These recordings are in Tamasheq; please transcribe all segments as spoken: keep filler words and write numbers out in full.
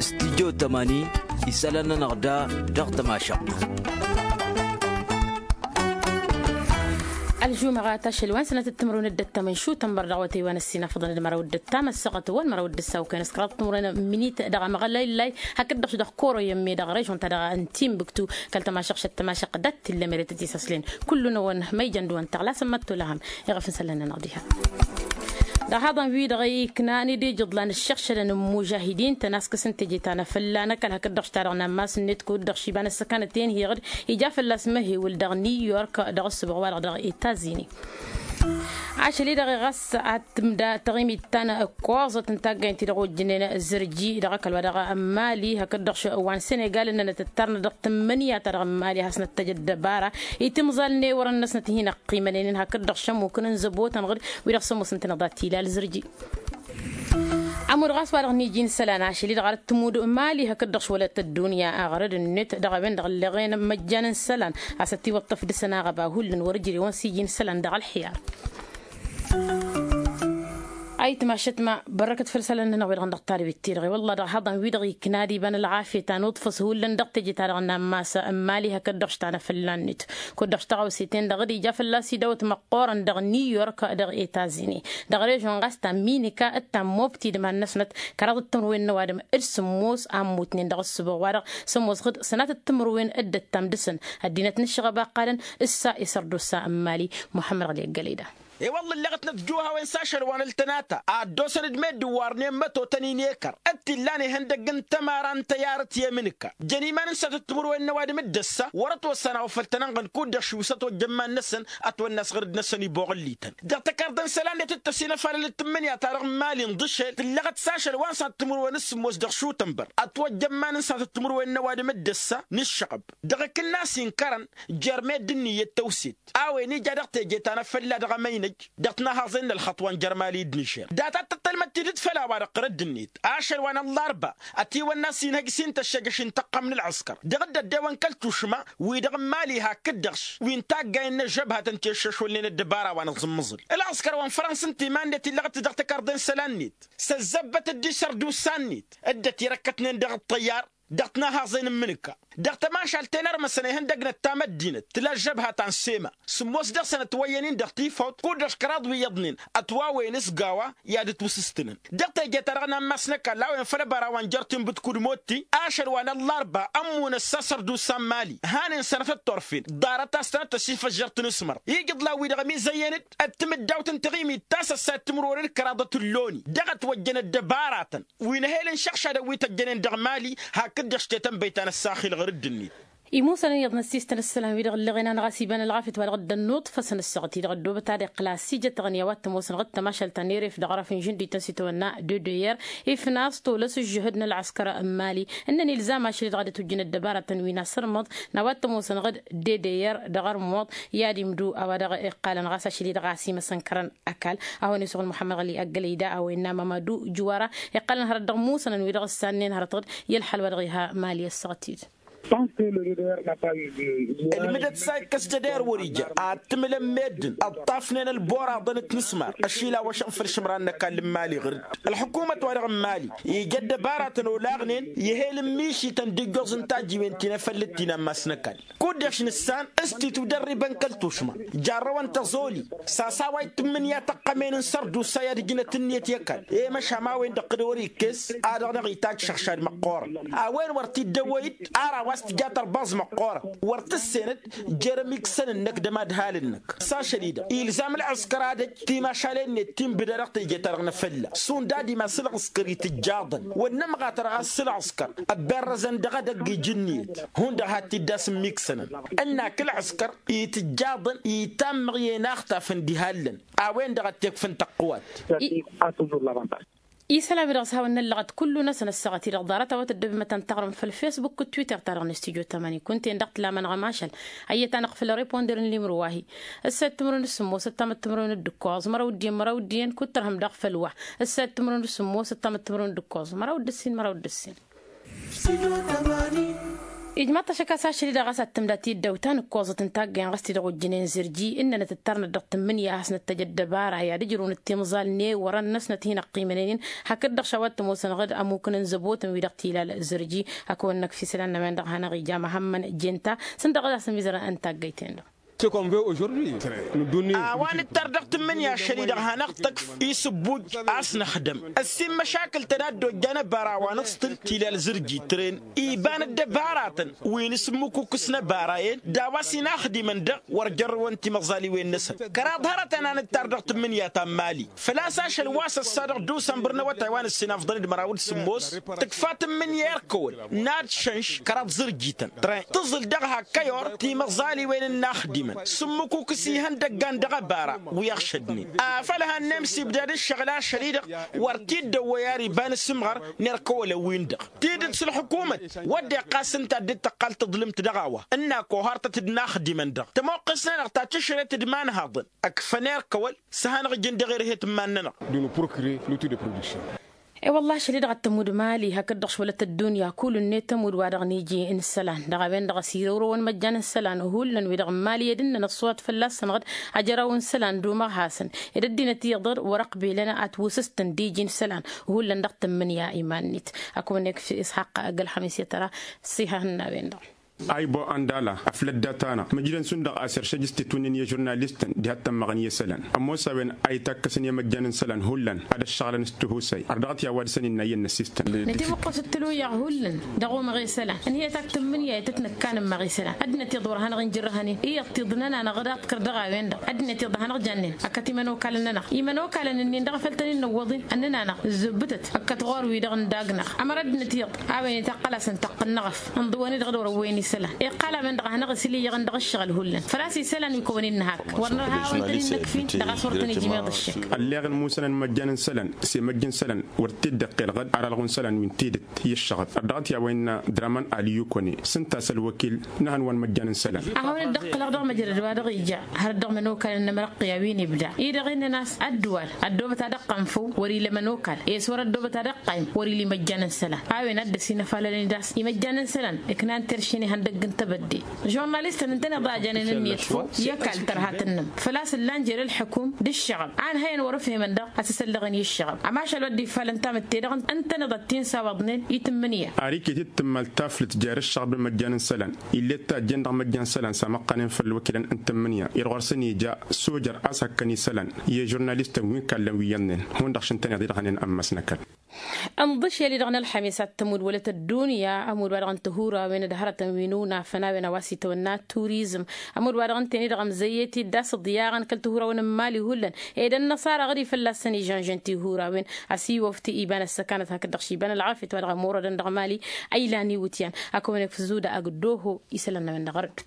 Studyo tămani isălan-nănăɣ da dăɣ-tămašăɣt. Ălžumăɣat ašăl wa n-sănatăt timǝrwen d-ăttamăn šutănbăr dăɣ-awătay wa n-ăssinafăḍăn d-măraw d-ăttam ăssaɣăt wa n-măraw d-ăssaw kăyăn s-kăraḍ timǝrwen minit dăɣ-amăɣlăylay hakd-dăɣ dăɣ-koroyăm-me dăɣ-režon-ta-dăɣ n-timbuktu kăl-tămašăɣšăt tămašăɣt dat-t illa merătăt isăslen. Kullu-năwăn ma ijăn d-wa n-taɣlasăn măttolăhăm iɣăf n-isălan-nănăɣ diha. Dăɣ-haḍăn-wi-dăɣ iknan ed ijǝḍlan ǝššăɣšălăn n-imužahidin tăn-askǝs n-teje ta n-afălla n-ăkall hakd-dăɣ šta dăɣ-nammas-net kud-dăɣ šiba n-ăssăkanăt-en hiɣǝd ija fălla-s măhewǝl dăɣ-niw york dăɣ-ǝssǝboɣ-wa-dăɣ dăɣ-etazini. Ašăl-i-dăɣ ɣas ad-tǝmda taɣimit ta n-ǝkkoẓăt n-taggaynt-i-dăɣ ojjǝnen zărji dăɣ-ăkall wa dăɣ-mali hakd-dăɣ wa n-senegal ǝnnănăt ǝttarnăt dăɣ-tǝmmǝnǝya-ta-dăɣ n-mali ad-hasnăt-tăj ăddăbara i-timẓal n-ewărăn-năsnăt hin-ăqqimănen hakd-dăɣ šămukăn n-zăbotăn ɣǝd wi-dăɣ s-ămoosăn-tăn-dăɣ dat-ilal zărji. Ămudd ɣas wa-dăɣ n-iji n-isălan ašăl-i-dăɣ arăt tǝmmud mali hakd-dăɣ šwălăt ăddunya aɣrăd-net dăɣ-a-wen-dăɣ ǝlleɣen măjjan n-isălan a-s ătiwăṭṭăf dăɣ-săn aɣăba hullan wăr-ǝjrewăn s-iji n-isălan dăɣ-ălxiyar. Ayǝtma šătma bărrăkăt făll-isălan-nănăɣ wi-dăɣ n-dăɣ-tadwit-ti-dăɣ i-wălla dăɣ-haḍăn-wi-dăɣ ikna ad-iba n-ălɣafyăt anǝḍfăs hullan dăɣ-teje-ta-dăɣ n-ammas n-mali hakd-dăɣ štanăfălla-net kud-dăɣ štăɣawse-ten-dăɣ d-ija fălla-s idawăt măqqoorăn dăɣ-niw york dăɣ-etazini dăɣ-režon ɣas ta n-minika d-ta n-mobti d-iman-năsnăt kăraḍăt timǝrwen n-ăwadǝm d-sǝmmos a ǝmmutnen dăɣ-ǝssǝboɣ-wa-dăɣ sămoos ɣǝd sănatăt timǝrwen d-ăttam dăɣ-săn ăddinăt n-ǝššăɣăb a ǝqqalăn ǝssa isărdusa n-mali muḥămmăd ɣăli ăggălăy da. I-wălla ǝlleɣăt nătjuhawen s-ašăl wa n-ăltănata a ăddoosăn-dd meddǝn wa ărnen mătotăn-in ekăr d-t-illan ihăndăgg n-tămara n-tăyarăt i-emǝnǝka jăn iman-năsnăt timǝrwen n-ăwadǝm d-ăssa wăr-ătwăssan a-wa făl tăn-ănɣăn kud-dăɣ šusăt ojjăn iman-năsăn ătwănna a-s ɣăr-dd-năsăn ibbuɣǝllităn dăɣ-tăkarḍe n-isălan-net d-tăsinăfalălăt tǝmmǝnǝya-ta-dăɣ n-mali n-ḍǝšel tǝllăɣăt s-ašăl wa n-sănat timǝrwen s-sǝmmos dăɣ-šutănbăr ătwăjja ămman n-sănat timǝrwen n-ăwadǝm d-ăssa n-ǝššăɣăb dăɣ-ikǝnnas inkărăn jer-meddǝn n-iyyăt tăwset a-wen ija dăɣ-teje ta n-afălla dăɣ-emăynăj dăɣ-tinahaẓen n-ălxăṭṭ wa n-jer-mali d-nižer data t-tăttălmăd tidǝt făll-a-wa-dăɣ ɣărădd-net ašăl wa n-ăllarba ătiwănna a-s inhăj s-intăššăjăš n-tăqqăm n-ălɣǝskăr dăɣ-dd-ăddewăn kăl-tušma wi-dăɣ n-mali hakd-dăɣ wi n-taggayen n-ăžžăbhătăn ti ăššăšwălnen ăddăbara wa n-aẓǝmmǝẓǝl ălɣǝskăr wa n-fărăns ǝnta iman-net illăɣ-t dăɣ-tăkarḍe n-isălan-net s-ăzzăbbăt dd-isărdusa-net dd-ătirăkkătnen dăɣ-ăṭṭăyyar dăɣ-tinahaẓen n-imǝnǝka dăɣ-tămašalt-en ărmăsăn ihăndăgnăt tamăddinăt tǝla ăžžăbha ta n-sema sǝmmos dăɣ-săn ătwăyyăn-in dăɣ-tifawt kud-dăɣ kăraḍ wi iyyăḍnen ătwawăyăn s-gawa i-ad-ǝtwǝsǝstǝnăn dăɣ-teje-ta-dăɣ n-ammas n-ăkall a-wen făll-ăbara wa n-jer-tinbǝd kud-motti ašăl wa n-ăllarba ămmunăt s-asărdusa n-mali hanen sănătăt turfen ḍarăt-as-tănăt tăsifăžžărt n-asmăr ijǝḍlan-wi-dăɣ ămizăyyăn-dd d-timǝddawt n-taɣimit ta s-ăssayăt timǝrwen d-kăraḍăt n-loni dăɣ-ătwăjjăn ăddăbaratăn wi n-ehel n-išăɣšadăn wi tăjjănen dăɣ-mali hakd-dăɣ s-tetănbăy ta n-ăssaxil ɣăr dd-net. Imusănăn iyyăḍ n-ăssistăn ǝssălan-wi-dăɣ ǝlleɣen-anăɣ a-s iba n-ălɣafyăt wa dăɣ-dd-ănnuḍfăsăn ăssaɣăt-i-dăɣ ăddoobăt ad-iqqǝl a-s ijăt taɣǝnǝya wa t-ămoosăn ɣǝd tămašalt ta n-eref dăɣ-arăf n-žǝndit n-sitawănna d-d-er ifnas tolăs ǝžžǝhǝd n-ălɣăskăr n-mali ǝnnăn ilzam ašăl-i-dăɣ ad-ătwǝjjǝn ăddăbaratăn wi n-asărmăḍ n-a-wa t-ămoosăn ɣǝd d-d-er dăɣ-armuḍ i-ad-imdu a-wa dăɣ-iqqalăn ɣas ašăl-i-dăɣ a-s imăsănkărăn ăkall a hawăn-isăɣǝl muḥămmăd ɣăli ăggălăy da a-wa innă mamadu juwara iqqalăn hărăt dăɣ-imusănăn wi-dăɣ ǝssannen hărăt ɣǝd i-ălxal wa dăɣ-iha mali ăssaɣăt-dd. Ǝlmǝdăt s-a ikkăs jăder wăr-ija ad-tǝmǝlăn meddǝn ǝṭṭafnen ălboraḍăn d-tinǝsmar ăšilawăšăn făll-išǝmran n-ăkall n-imali ɣǝr-dd ălḥukumăt-wa-dăɣ n-imali ija ăddăbaratăn olaɣnen i-ehel n-mišităn d-ijjoẓ n-tajiwen ti n-efăllăt ti n-ammas n-ăkall kud-dăɣ-š nǝssan s-titwǝdărribăn kăl-tušma jarrăwăn tăẓoli s-a-s a-wa itǝmmǝnǝya tăqqămen n-sărdusa i-ad-ǝjnăt ǝnniyăt i-ăkall i-măšham a-wen-dăɣ kăd-wăr-ikkes a dăɣ-năɣ-itajj šăɣšad măqqoorăn a-wen wăr t-dd-ăwwăy-dd ar a-wa s-tǝja tărbaẓ măqqoorăn wăr tǝssenăd jer-ămiksăn-năk d-ămadhal-năk s-ašăl-i-dăɣ ilzam ălɣǝskăr ad-ăj timašalen-net ti n-bǝdăr dăɣ-teje-ta-dăɣ n-afălla šund ad-imas ǝlɣǝskăr itǝjjaḍăn wăr nǝmɣatăr ɣas s-ǝlɣǝskăr ăbberrăzăn dăɣ-edăgg ija ǝnniyăt hundăɣ had-t-dd-asǝmmikksănăn ǝnnak ǝlɣǝskăr itǝjjaḍăn itammăɣ i-inaxtafăn d-ihallăn a-wen-dăɣ ad-t-ikfǝn tăqqǝwat. Isălan-wi-dăɣ s-hawăn-năllăɣăt kullu-năsăn ăssaɣăt-i-dăɣ ḍarăt a-wa tăddobem ad-tăn-taɣrǝm făll-fesbuk d-twitter-ta-dăɣ n-studyo tămani kunta-en dăɣ-tǝlamănăɣ ămašal ăyyăt-anăɣ făll-reponder n-limru wa-hi ǝssayăt timǝrwen d-sǝmmos ăttamăt timǝrwen d-ǝkkoẓ măraw d-iyyăn măraw d-iyyăn kud-tărhǝm daɣ făll-wa ǝssayăt timǝrwen d-sǝmmos ăttamăt timǝrwen d-ǝkkoẓ măraw d-ǝssin măraw d-ǝssin. Ijmaḍ-t ašăk a-s ašăl-i-dăɣ a-s ad-tǝmda tidăwt ta n-ǝkkoẓăt n-taggăyăn ɣas ti-dăɣ ojjănen zărji ǝnnănăt ǝttarnăt dăɣ-tǝmmǝnǝya a hasnăt tăj ăddăbara i-ad-ǝjrǝwnăt timẓal n-ewărăn-năsnăt hin-ăqqimănăynen. Hakd-dăɣ šawa t-ămoosăn ɣǝd ămmukǝn n-zăbotăn-wi-dăɣ tilal zărji. Ad-kăwăn-năkf isălan n-a-wen-dăɣ a hanăɣ-ija măhămmăn jenta s-ǝnta ɣǝd a-s ămizărăn n-taggăyt-en-dăɣ. A-wa nǝttar dăɣ-tǝmmǝnǝya ašăl-i-dăɣ hanăɣ-tăkf isǝbbuj a-s năxdăm ăssin măšakǝl-tăn a dd-ojjan ăbara wa nǝṣtǝl tilal zărji tren iba n-ăddăbaratăn wi n-asǝmmǝkukǝs n-ăbara-en d-a-wa s-inaxdimăn-dăɣ wăr jărrăwăn timăẓaliwen-năsăn. Kăraḍ hărătăn a nǝttar dăɣ-tǝmmǝnǝya ta n-mali făl-a-s ašăl wa s-ăssa dăɣ-dusănbăr n-awătay wa n-ǝssin afḍăn d-măraw d-sǝmmos tǝkfa tǝmmǝnǝya erkăwăl n-ad-šănš kăraḍ zărjităn tren tǝẓǝl dăɣ-hakkăyor timăẓaliwen n-inaxdimăn sǝmmǝkukǝs ihăndăggan dăɣ-ăbara wi ăɣšădnen afăl hannăm s-ibdad ǝššăɣǝl ašăl-i-dăɣ wăr t-dd-ăwwăy ar iba n-asǝmɣăr n-erkăwălăn-win-dăɣ tidǝt s-ălxukumăt wădden ɣas ǝnta a dd-tăqqal taḍlǝmt dăɣ-a-wa ǝnn'-ak ohartăt d-inaxdimăn-dăɣ tămoqqes-nănăɣ ta tǝšret d-imanhaḍăn ǝkfăn erkăwăl s-ad-hanăɣ-ǝjǝn dăɣ-erhet n-iman-nănăɣ. E-wălla ašăl-i-dăɣ ad-tămud mali hakd-dăɣ šwălăt ăddunya kull-net tămud wa dăɣ-niji n-isălan dăɣ-a-wen-dăɣ a-s irăwrăwăn măjjan n-isălan hullan-wi-dăɣ n-mali ed ǝnnăn ăṣṣuwat fălla-săn ɣǝd ajăraw n-isălan d-umăɣhasăn ed ăddinăt iyyăḍ wăr-ăqbelăn ad-t-wǝsǝstăn d-iji n-isălan hullan dăɣ-tǝmmǝnǝya iman-net. Akăwăn-ek f-isxaqq ăgg-ălxămis i-tăra s-ihăhăn n-a-wen-dăɣ. Aybo andala aflăt data-năɣ măjrăn šund-dăɣ a-s iršăj s-titwǝnnin i-žurnalistăn diha t-ămmăɣăn i-isălan ămoos a-wen a itakk-asăn i-măjjan n-isălan hullan ad-ăššăɣǝlăn s-tihusay ar dăɣ-t i-a-wa dăr-săn innă iyyăn n-ăssistăn. Nătimǝqqǝsăt tǝlwǝyyaɣ hullan dăɣ-umăɣ i-isălan ănhǝyăt ad-t-tǝmmǝnǝya i-tăt-nǝkkan ǝmmăɣ i-isălan ăddinăt iyyăḍ wăr hanăɣ-injărrăhăn-in iyyăḍ tiḍnăn-anăɣ d-aḍkăr dăɣ-a-wen-dăɣ ăddinăt iyyăḍ hanăɣ-jannen ăkkăt imănokalăn-nănăɣ imănokalăn-nin-dăɣ a făl tăn-in-năwwăḍ-in ănnăn-anăɣ ǝzzǝbbǝtăt ăkkăt ɣur-wi-dăɣ n-dagg-năɣ ămăra ăddinăt iyyăḍ a-wen itaqqăl-asăn taqqǝl n-eɣăf ǝnḍǝwăn-i-dăɣ d-wăr-ǝwwăyăn isălan iqqal a-wen-dăɣ a hanăɣ-isǝl iyyăɣ-n dăɣ-ǝššăɣǝl hullan făl-a-s isălan wi kăwăn-in-nǝhak wăr nărha a-wen tăn-in-nǝkfi dăɣ-a-s wăr tăn-ijmeḍ ǝššǝk. Ălleɣ n-imusănăn n-imăjjan n-isălan s-imăjj n-isălan wăr t-dd-iqqel ɣǝd ar ălɣu n-isălan wi n-tidǝt i-ǝššăɣăt ar dăɣ-t i-a-wa innă draman aliyukone s-ǝnta a-s ălwăkil n-ehăn wa n-imăjjan n-isălan. Ad-hawăn-dd-ăqqǝlăɣ dăɣ-măjrăd wa dăɣ-ija hărăt dăɣ-imănokalăn n-emărăqqǝy a-wi n-ibda-i-dăɣ innăn a-s ăddǝwal ăddoobăt ad-ăqqăn făw wăr-ila imănokal i-s wăr ăddoobăt ad-ăqqayǝm wăr-ila imăjjan n-isălan. A-wen ad-dăr-s inăfalălăn-dd a-s imăjjan n-isălan ǝknan terše n-ihăndăgg n-tebădde žurnalistăn ǝntăneḍ a janen ǝnniyăt făw i-ăkall tărha tǝnnǝm făl-a-s ǝllan jer-ǝlḥǝkum d-ǝššăɣăb a ǝnhăyăn wăr-ǝfhemăn daɣ a-s isăllăɣăn i-ǝššăɣăb. Amašal wa dd-ifalăn tamǝtte-dăɣ ǝntăneḍ ad-t-in-sawăḍnen i-tǝmmǝnǝya. Ar iket-dd tǝmmal taflǝt jer-ǝššăɣăb n-imăjjan n-isălan ill'-e d tajjen dăɣ-imăjjan n-isălan s-amăqqanen făll-iwăkilăn n-tǝmmǝnǝya-i-dăɣ wăr săn-ija sojăr a-s hăkkăn isălan i-žurnalistăn wi n-kallăn wi iyyăḍnen hundăɣ šintăneḍ-i-dăɣ hănen ămmas n-ăkall. Ănḍǝšel-i-dăɣ n-ălxămis ad-tămud wălăt ăddunya ămud wa dăɣ-n tihurawen d-hărătăn wi n-unafăn a-wen a-wa s-itwănna turizm ămud wa dăɣ-ǝnten-i-dăɣ ămzăyyet-dd a-s ǝḍyaɣăn kăl-tihurawen n-imali hullan ed ănnăṣara ɣǝd-i fălla-săn ižănžăn tihurawen. Ăsiwăfti iba n-ăssăkanăt hakd-dăɣ-š iba n-ălɣafyăt wa dăɣ-ămorădăn dăɣ-mali a ilan iwǝtyan. Ad-kăwăn-ikf zuda agǝddoho isălan n-a-wen-dăɣ ărădd.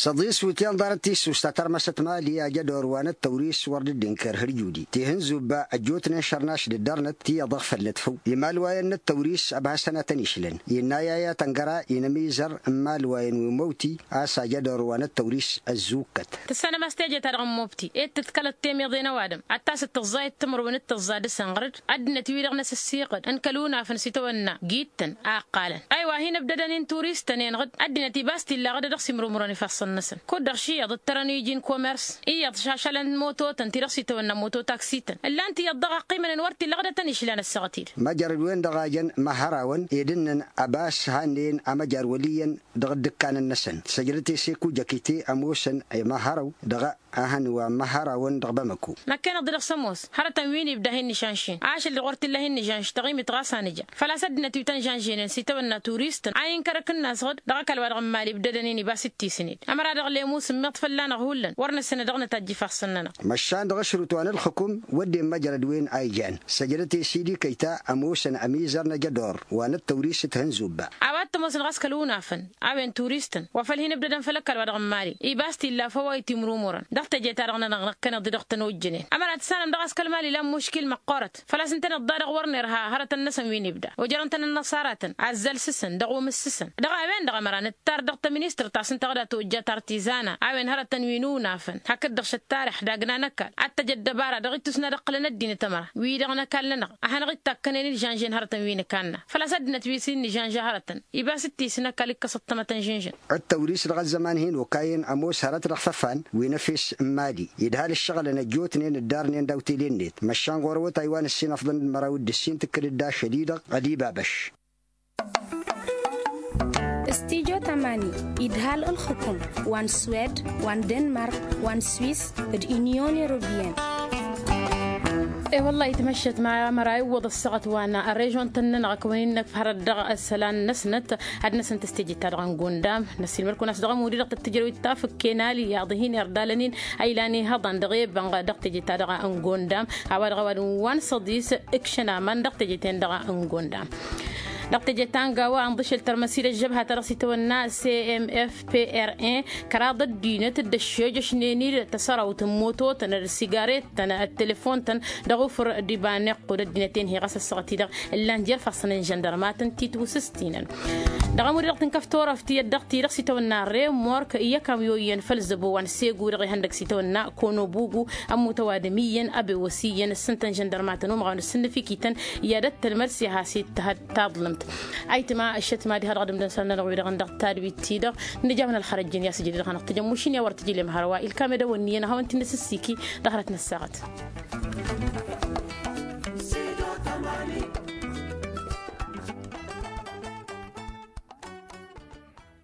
S-aḍis wǝtyan ḍarăt tissust ta tărmăsăt mali ajădor wa n-ăttăwris wăr dd-inker hărjudi tihǝnzubba ăjjootnen šărnaš d-ăddărnăt ti iyyăḍ ăɣfălnăt făw imalwayăn n-ăttăwris ăbhăsăn ad-tăn-išlăn. Innă i-a i-ad-tăn-găra inămizăr n-imalwayăn wi n-măwti a-s ajădor wa n-ăttăwris ăzzukkăt. Tǝssanăm a-s teje-ta-dăɣ n-mobti ed tǝḍkălăt temeḍe n-ăwadǝm ad-tasǝt tǝẓẓayăt timǝrwen d-tǝẓẓa dăr-săn ɣăr-dd ăddinăt-wi-dăɣ n-asǝssiɣăd n-kăl-unafăn s-itawănna gittăn a ǝqqalăn. Aywa hin-ǝbdădăn-in turistăn-en ɣǝd ăddinăt iba a-s t-illa ɣǝd a dăɣ-simrumrăn ifassăn-năsăn kud-dăɣ ši iyyăḍ ǝttărăn iji n-komers iyyăḍ šašălăn mototăn ti-dăɣ s-itawănna mototaksităn ǝllan-t iyyăḍ dăɣ-ăqqimănen wăr t-illa ɣǝd ad-tăn-išlan ăssaɣăt-dd. Măjrăd-wen-dăɣ a jăn măhhărawăn ed ǝnnăn ăbas hannen amăjar wăl' iyyăn dăɣ-dd-ǝkkanăn-năsăn săjdăt-e s-ekujăkite ămoosăn i-măhhărăw dăɣ-ehăn wa n-imăhhărawăn dăɣ-bamăko. Năkk'-enăɣ-dd dăɣ-s ămoos hărătăn wi n-ibda hin-nǝžănš-in ašăl-dăɣ wăr t-illa hin-nǝžănš dăɣ-imit ɣas a nǝja făl-a-s ăddinăt wi tăn-žănženen s-itawănna turistăn a inkăr akǝnnas ɣǝd dăɣ-ăkall wa dăɣ-n mali ǝbdădăn-in iba s-dd-tisǝned ămăra dăɣ-lemu sǝmmiḍ fălla-năɣ hullan wăr năssănăd dăɣ-nătajj ifassăn-nănăɣ. Măšan dăɣ-ašrut wa n-ǝlxǝkum wădden măjrăd-wen a ijan săjdăt-e s-idikăy-ta ămoosăn ămizăr n-ajădor wa n-ăttăwris d-tihǝnzubba. A-wa t-ămoosăn ɣas kăl-unafăn a-wen turistăn wa făl hin-ǝbdădăn făll-ăkall wa dăɣ-n mali iba a-s t-illa făw a itimrumurăn dăɣ-teje-ta-dăɣ-nănăɣ năkkăneḍ-i dăɣ-tăn ojjănen ămăra tǝssanăm daɣ a-s kăl-mali ilan muškil măqqoorăt. Făl-a-s ǝntăneḍ daɣ-dăɣ wăr nerha hărătăn-năsăn wi n-ibda ojărăn-tăn ănnăṣaratăn azzăl sǝsăn dăɣ-umǝs sǝsăn. Dăɣ-a-wen-dăɣ ămăra nǝttar dăɣ-tăministărt ta s-ǝnta ɣǝd a tojjat artizana a-wen hărătăn wi n-unafăn hakd-dăɣ šăttarăh dagna n-ăkall ad-tăj ăddăbara dăɣ-ittus n-ad-ǝqqǝlăn ăddinăt ămăra wi-dăɣ n-ăkall-nănăɣ a hanăɣ-ittakkănen ižănžen hărătăn wi n-ǝkanna. Făl-a-s ăddinăt wi s-in-nǝžănža hărătăn Ibas d-tisnăkal ikkăs ăṭṭămăt ănžǝnžǝn. Ăttăwris dăɣ-ăzzăman hin-okayăn ămoos hărăt dăɣ-tăfan wi n-efes n-mali idhal ǝššăɣǝlăn ăjjootnen ǝddarnen d-awtelen-net măšan ɣur-awătay wa n-ǝssin ăfḍăn d-măraw d-ǝssin tǝkkǝd-dd ašăl-i-dăɣ. Ădibabăš. Stijo tamani idhal ǝlxǝkǝm wa n-swed wa n-denmark wa n-swis d-inyon europiyăn. E-wălla-hi tmăššăt ma măra iwwăḍ ăssaɣăt wa n-režon-tăn-nănăɣ ăkk wăn-in-năkf hărăt dăɣ-isălan-năsnăt ad-năsăn tăstejăt-ta-dăɣ n-gondam. Năssiilmăd-kăwăn a-s dăɣ-ămud-i-dăɣ tăt-tǝjrăw ittafǝk kenali i-aḍ hin-irdalăn-in a ilan ihăḍan dăɣ-e-bănɣ dăɣ-tejăt-ta-dăɣ n-gondam. A-wa dăɣ-ăwadǝm wa n-săḍis ǝkšăn aman dăɣ-tejăt-en-dăɣ n-gondam. Dăɣ-tejăt ta n-gawa ănḍǝšel tărmăs-dd ăžžăbha-ta-dăɣ s-itawănna cmf pr-en kăraḍ ăddinăt dd-ăššejăšnen-dd tăsărawt n-mototăn d-sigaret-tăn d-telefon-tăn dăɣ-ufǝr d-iba n-iqqud ăddinăt-en-hi ɣas ăssaɣăt-i-dăɣ ǝllan jer-ifassăn n-žăndărmatăn titwǝsǝstinăn. Dăɣ-ămud-i-dăɣ tǝnkăf turăft iyyăt dăɣ-ti-dăɣ s-itawănna remork i-ăkam i-oyyăn făll-zăbo wa n-segu-dăɣ ihăndăg s-itawănna konobugu ămmut ăwadǝm iyyăn a bewăs iyyăn ǝssǝntăn žăndărmatăn umăɣ wa n-ǝssǝnnǝf ikităn i-ad-ăttălmăd s-iha s-ittăhăd taḍlǝmt. Ayǝtma ăššăt mad-iha dăɣ-dămdăn săr-nănăɣ wi-dăɣ n-dăɣ-tadwit-ti-dăɣ nǝja-wăn ălxărăj-in i-asǝjǝd dăɣ-hanăɣ tǝjăm mušǝn i-a wăr tǝjǝlem hărwa ilkam edăwănni i-ănhăwăn ti n-asǝssiki dăɣ-hărăt n-ăssaɣăt.